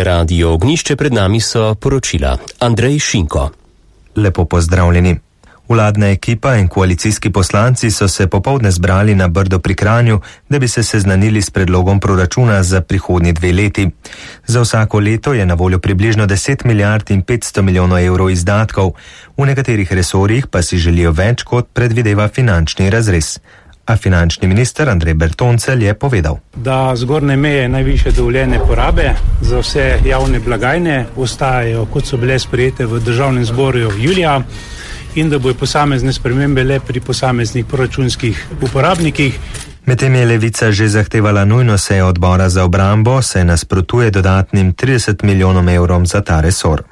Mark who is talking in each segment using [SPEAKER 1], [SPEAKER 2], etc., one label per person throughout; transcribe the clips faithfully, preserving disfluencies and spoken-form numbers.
[SPEAKER 1] Radio Ognišče, pred nami so poročila. Andrej Šinko.
[SPEAKER 2] Lepo pozdravljeni. Vladna ekipa in koalicijski poslanci so se popoldne zbrali na Brdo pri Kranju, da bi se seznanili s predlogom proračuna za prihodnji dve leti. Za vsako leto je na voljo približno deset milijard in petsto milijonov evrov izdatkov, v nekaterih resorjih pa si želijo več, kot predvideva finančni razrez. A finančni minister Andrej Bertoncelj je povedal,
[SPEAKER 3] da zgornje meje najvišje dovoljene porabe za vse javne blagajne ostajajo, kot so bile sprejete v državnem zboru julija, in da bojo posamezne spremembe le pri posameznih proračunskih uporabnikih.
[SPEAKER 2] Medtem je Levica že zahtevala nujno sejo odbora za obrambo, se nasprotuje dodatnim trideset milijonom evrom za ta resor.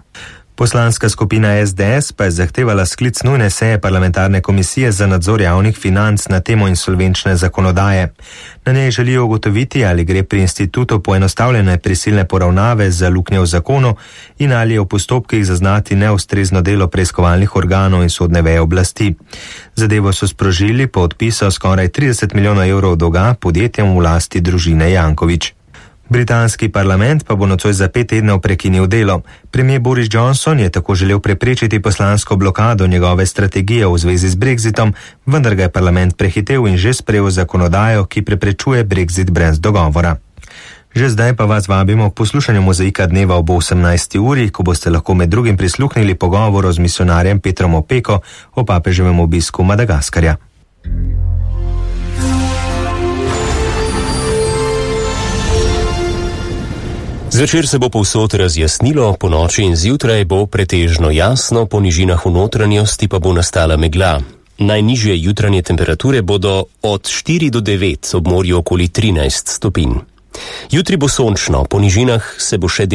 [SPEAKER 2] Poslanska skupina S D S pa je zahtevala sklic nujne seje parlamentarne komisije za nadzor javnih financ na temo insolvenčne zakonodaje. Na njej želijo ugotoviti, ali gre pri institutu poenostavljene prisilne poravnave za luknje v zakonu in ali je v postopkih zaznati neustrezno delo preiskovalnih organov in sodne veje oblasti. Zadevo so sprožili po odpisu skoraj trideset milijonov evrov dolga podjetjem v lasti družine Janković. Britanski parlament pa bo nocoj za pet tednov prekinil delo. Premier Boris Johnson je tako želel preprečiti poslansko blokado njegove strategije v zvezi z Brexitom, vendar ga je parlament prehitel in že sprejel zakonodajo, ki preprečuje Brexit brez dogovora. Že zdaj pa vas vabimo k poslušanju Mozaika dneva ob osemnajsti uri, ko boste lahko med drugim prisluhnili pogovoru z misionarjem Petrom Opeko o papeževem obisku Madagaskarja.
[SPEAKER 1] Zvečer se bo povsod razjasnilo, po noči in zjutraj bo pretežno jasno, po nižinah v notranjosti pa bo nastala megla. Najnižje jutranje temperature bodo od štiri do devet, ob morju okoli trinajst stopinj. Jutri bo sončno, po nižinah se bo še del